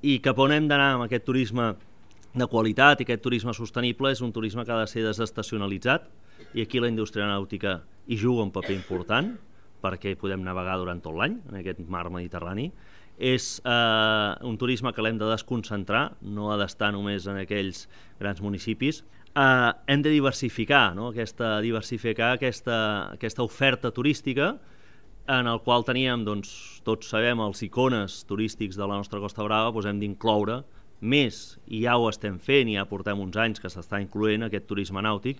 I cap on hem d'anar amb aquest turisme de qualitat i aquest turisme sostenible és un turisme que ha de ser desestacionalitzat, i aquí la indústria nàutica hi juga un paper important perquè podem navegar durant tot l'any en aquest mar Mediterrani. És un turisme que l'hem de desconcentrar, no ha d'estar només en aquells grans municipis. Hem de diversificar, no? diversificar aquesta oferta turística, en el qual teníem, doncs, tots sabem, els icones turístics de la nostra Costa Brava, doncs hem d'incloure més, i ja ho estem fent, i ja portem uns anys que s'està incloent aquest turisme nàutic,